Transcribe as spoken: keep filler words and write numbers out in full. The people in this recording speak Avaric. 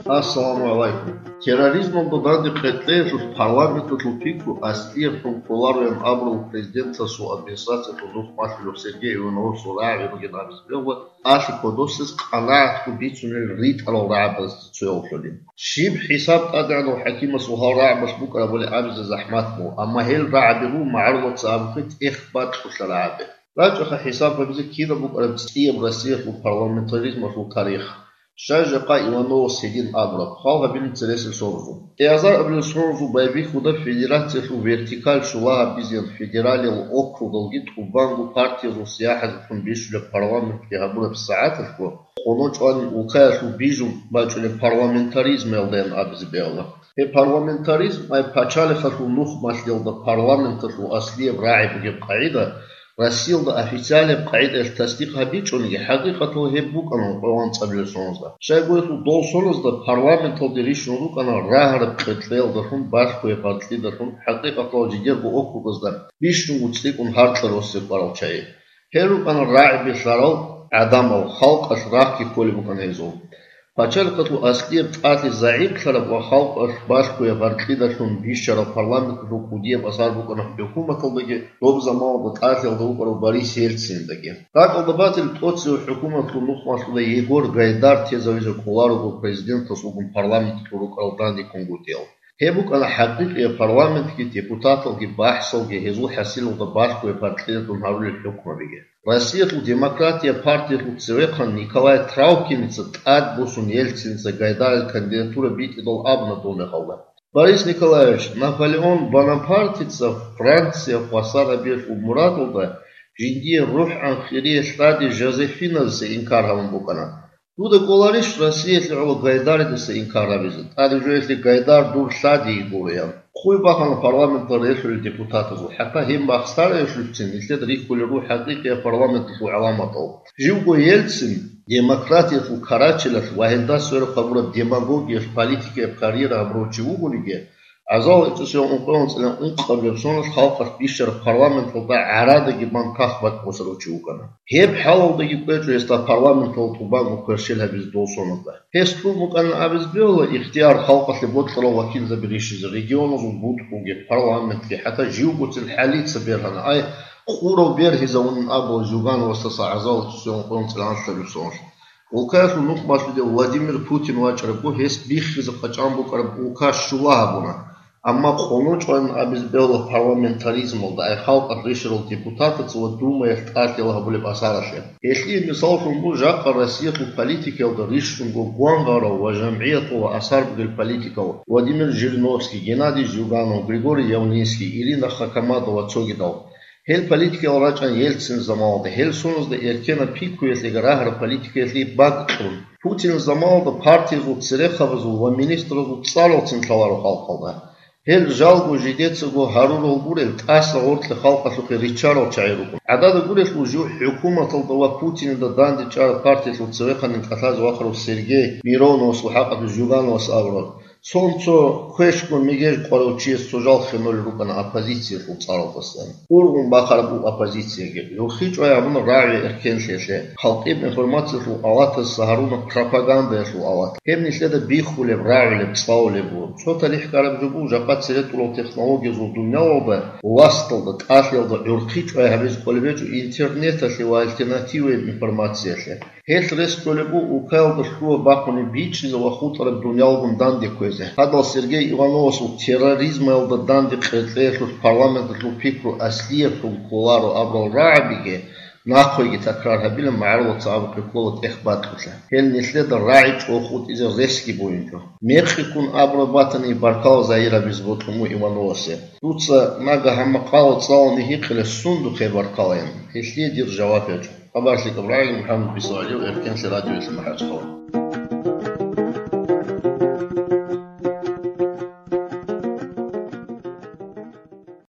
Ассаламу гӀалайкум. Терроризмалда данде къеркьеялъул парламенталъул пикру аслияб хӀукму кколароян абурал президентасул администрациялъул нухмалъулев Сергей Ивановасул рагӀаби бугин абизе бегьула, ахӀи кодосез къанагӀатго бицунел ритӀарал рагӀабазда цоявлъулин. Щиб хӀисаб тӀадегӀанав хӀакимасул гьал рагӀабалъ букӀарабали абизе захӀмат буго, амма гьел рагӀаби руго, магӀарулаца абухъе, тӀехь бакьулъа рагӀаби. РачӀаха хӀисаб гьабизе кида букӀараб цӀияб Россиялъул парламентаризмалъул тарих. Щай жакъа Ивановас гьедин абураб, хал гьабилин цересел сорузул. Кьиазар абулел сорузул байбихьуда федерациялъул вертикаль щула гьабизеян федералиялъул округдалги тӀубанго партиязул сияхӀаталъун бищулеб парламентги гьабураб сагӀаталъго, къоло чӀванин улкаялъул бижун бачӀунеб парламентаризмалдаян абизе бегьула. Гьеб парламентаризм ай пачалихъалъул нухмалъиялда парламенталъул аслияб рагӀи бугеб къагӀида Россиялда официалияб къагӀидаялъ тасдикъ гьабичӀониги, хӀакъикъаталда гьеб букӀана ункъоялда анцӀабилеб соналда. Щайгурелъул дол соналда парламенталде рищун рукӀана рагьараб къеркьеялдалъун, балъгояб гьаркьидалъун, хӀакъикъаталда жидерго округазда бищунго цӀикӀкӀун гьаркьа росизе кӀварал чагӀи. Гьел рукӀана рагӀи бихьарал гӀадамал, халкъалъ рахъги кколеб букӀана гьезул. Пачалихъалъул аслияб тӀалъи загӀиплъараб ва халкъалъ балъгояб гьаркьидалъун бищараб парламенталъул кӀудияб асар букӀана хӀукуматалдаги, доб заманалда тӀалъиялда вукӀарав Борис Ельциндаги. РакӀалда батил, тӀоцеве хӀукуматалъул нухмалъулда Егор Гайдар тезавизе кӀоларого президентас вугун парламенталъул рукӀарал дандеккунгутӀиял. Гьеб букӀана хӀакъикъияб парламентги депутаталги бахӀсалги гьезул хӀасилалда балъгояб гьаркьидалъун гьарулел хӀукмабиги. Россиялъул демократияб партиялъул цевехъан Николай Травкиница тӀадбуссун Ельциница Гайдарил кандидатура битӀидал абуна дол мехалда: «Борис Николаевич, Наполеон Бонапартица Франция хвасар гьабиялъул мурадалда жиндие рухӀан хирие лъади Жозефинадаса инкар гьабун букӀана. Дуда кӀоларищ Россиялъе гӀоло Гайдаридаса инкар гьабизе? ТӀаде жоялъе Гайдар дур лъадиги гуроян». Хъуй бахана парламенталда релълъулел депутатазул, хӀатта гьеб махсараялъулцин нилъеда рихьулел руго хӀакъикъияб парламенталъул гӀаламатал. Живго Ельцин демократиялъул карачелалъ ва гьелда сверухъ гьабураб демагогиялъ политикаяб карьера гьабурав чи вугониги, гӀазал гӀицӀусиял ункъоялда анцӀила ункъабилеб соналъ халкъалъ бищараб парламенталда гӀарадаги бан кагъ бакӀ босарав чи вукӀана. Гьеб хӀалалдаги кӀвечӀо гьесда парламенталда тӀубанго кверщел гьабизе дол соналда. Гьес лъун букӀанин абизе бегьула ихтияр халкъалъе бокьарал вакилзаби рищизе, регионазул бутӀруги, парламентги, хӀатта живгоцин хӀалица бергьана, ай, къурав бергьизавунин абула Зюгановасдаса гӀазал гӀицӀусиял ункъоялда анцӀила лъабаб соналъ. Улкаялъул нухмалъулев Владимир Путин вачӀарабго, гьес биххизе къачӀан букӀараб улка щула гьабуна. Амма къоло чӀванин абизе бегьула парламентаризмалда, ай халкъалъ рищарал депутатаца ва Думаялъ тӀалъиял гьабулеб асаралъе. Гьелъие мисаллъун буго жакъа Россиялъул политикаялда рищунго гвангъарав ва жамгӀияталда асар бугел политикал Владимир Жириновский, Геннадий Зюганов, Григорий Явлинский, Ирина Хакамада ва цогидал. Гьел политикаялда рачӀана Ельцин заманалда, гьел соналда эркенаб пикруялъеги рагьараб политикаялъеги бакӀ кьун. Путинил заманалда партиязул церехъабазул ва министразул цӀаралцин лъаларо халкъалда. Гьел жалго жидецаго гьарурал гурел, тӀаса гъоркье халкъалъухъе риччарал чагӀи руго. ГӀадада гурелъул, жив хӀукуматалда ва Путинида дандечӀараб партиялъул цевехъанин кӀалъазе вахарав Сергей Мироновасул хӀакъалъулъ Зюгановас абураб: «Цо-цо квешго мегеж къварав чияс цо жал хинолел рукӀана оппозициялъул цӀаралдасан. Ургъун бахъараб буго оппозицияги». ГӀурхъи чӀвай гьабуна рагӀи эркенлъиялъе, халкъияб информациялъул алатасда гьаруна пропагандаялъул алат. Гьеб нилъеда биххулеб, рагӀулеб, цӀалулеб буго. Цо талихӀ ккараб жо буго жакъа цере тӀурал технологиязул дуниялалда, власталда, тӀалъиялда гӀурхъи чӀвай гьабизе кӀолеб гьечӀо интернеталъе ва альтернативаяб информациялъе. Гьелъ рес кколеб буго улкаялда лъугьа-бахъунеб бичӀчӀизе ва хутӀараб дуниялгун данде кквезе. Гьадал Сергей Ивановасул терроризмалда данде къеркьеялъулъ парламенталъул пикру аслияб хӀукму кколаро абурал рагӀабиги, нахъеги такрар гьабилан, магӀарулаца абухъе ккола тӀехь бакьулъа. Гьел нилъеда рагӀи чӀвахутӀизе ресги бугинчӀо. Мекъи ккун абураб батани, баркала загьир гьабизе бокьун буго Ивановасе. Дуца нагагь гьаб макъала цӀалуни гьикъила, сундухъе баркалаян. Гьелъие дир жаваб гьечӀо. Хабар лъикӀаб рагӀи, МухӀаммад Бисмиллагьев, Эркенлъи радиоялъ МахӀачхъала.